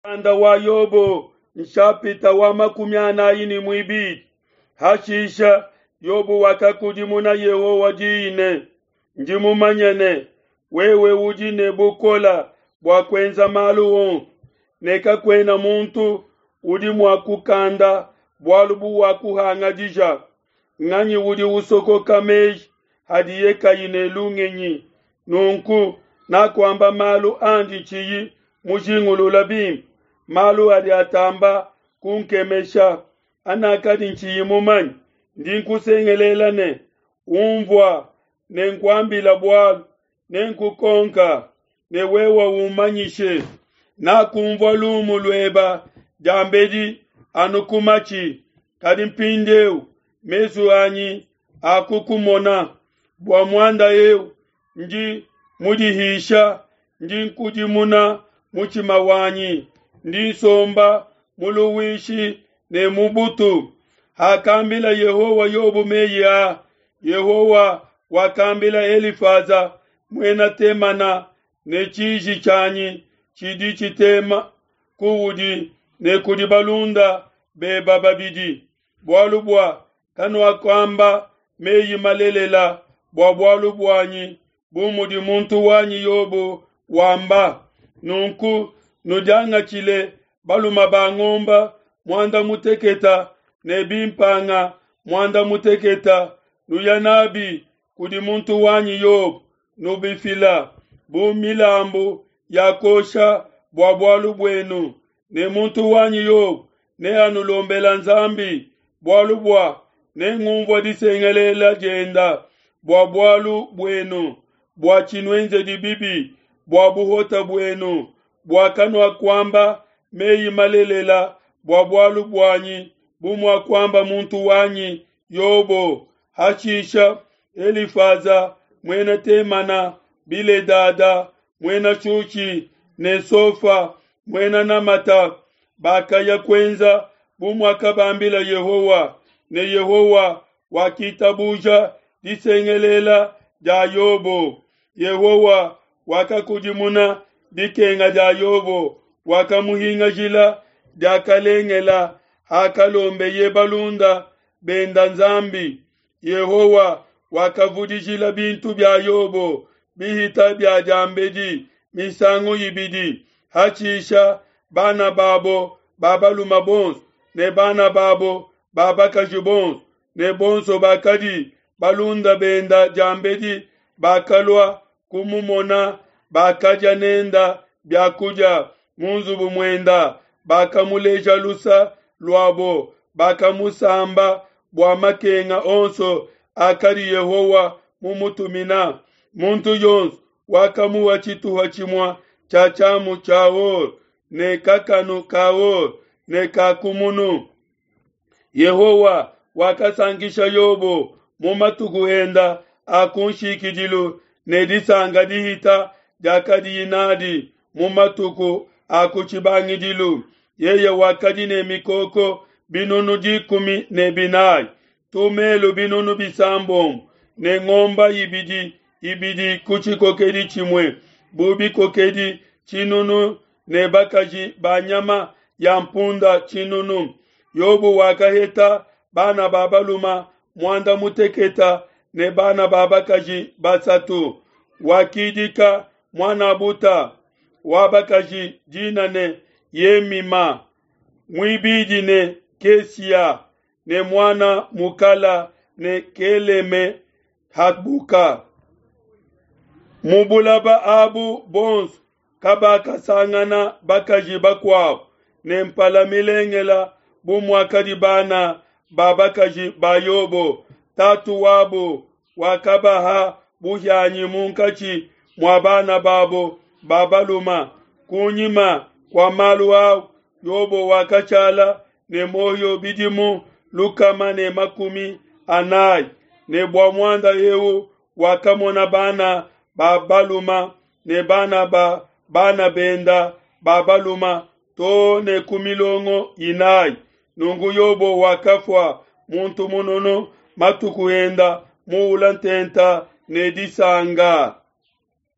Mukanda wa Yobo nshapita wa 42. Hashisha Yobo wakakudimuna Yehowa diyi ne, Ndi mumanye ne, wewe udi ne bukole bua kuenza malu onso, ne kakuena muntu udi mua kukanda bualu buwakuhangadija. Nganyi udi usokoka meji hadiye kayi ne lungenyi? Nunku nakuamba malu andi tshiyi mujingulula bimpe, malu adi atamba kunkemesha, anakadi ntshiyi mumanye. Ndi nkusengelela ne, Unvua, nenkuambila bualu, nenkukonka, ne wewe ummanyishe. Nakunvua lumu lueba diambedi anu ku matshi, kadi mpindieu mesu anyi akukumona. Bua muanda eu ndi mudihisha, ndi nkudimuna mutshima wanyi, ndi nsomba mu luhuishi ne mu butu. Hakambila Yehowa Yobo meyi a, Yehowa wakambila Elifaza muena Temana ne tshiji tshianyi tshidi tshitema kuudi ne kudi balunda beba babidi, bualu bua kanuakuamba meyi malelela bua bualu buanyi bu mudi muntu wanyi Yobo wamba. Nunku nudiangatshile balume ba ngomba muanda muteketa ne bimpanga muanda muteketa, nuya nabi kudi muntu wanyi Yobo, nubifila bu milambu ya kuosha bua bualu buenu, ne muntu wanyi Yobo neanulombela Nzambi, bualu bua nengumvua disengelela dienda bua bualu buenu, bua tshinuenzedi bibi bua buhota buenu, bua kanuakuamba meyi malelela bua bualu buanyi bu muakuamba muntu wanyi Yobo. Hashisha Elifaza muena Temana, Biledada muena Shushi ne Sofa muena Namata bakaya kuenza bu muakabambila Yehowa, ne Yehowa wakitabuja disengelela dia Yobo. Yehowa wakakudimuna dikenga dia Yobo, wakamuhingajila diakalengela hakalombeye balunda benda Nzambi. Yehowa wakavudijila bintu bia Yobo bihita bia diambedi misangu ibidi. Hashisha bana babo ba balume bonso ne bana babo ba bakaji bonso ne bonso bakadi balunda benda diambedi bakalua kumumona, bakadia nenda bia kudia mu nzubu muenda, bakamuleja lusa luabo, bakamusamba bua makenga onso akadi Yehowa mumutumina. Muntu yonso wakamuha tshituha tshimue tshia tshiamu tshia or ne kakanu ka or ne ka kumunu. Yehowa wakasankisha Yobo mu matuku enda a kunshikidilu ne disanka dihita diakadiye nadi mu matuku a ku tshibangidilu. Yeye wakadi ne mikoko 140, tumelu 60 ne ngomba ibidi ibidi ku tshikokedi tshimue, bu bikokedi tshinunu ne bakaji ba nyama ya mpunda tshinunu. Yobo wakaheta bana ba balume muanda muteketa ne bana ba bakaji basatu. Wakidika muan'abuta wa bakaji dina ne Yemima, muibidi ne Kesia, ne muana mukala ne Keleme Habuka. Mu bulaba abu bonso kabakasangana bakaji bakuabo ne mpala milengela bu muakadi bana ba bakaji ba Yobo. Tatu wabo wakabaha buhianyi munkatshi mua bana babo ba balume. Kunyima kua malu au Yobo wakashala ne muoyo bidimu 140, ne bua muanda eu wakamona bana ba balume ne bana ba bana benda ba balume to ne ku milongo inayi. Nunku Yobo wakafua muntu mununu, matuku enda muula ntenta ne disanka.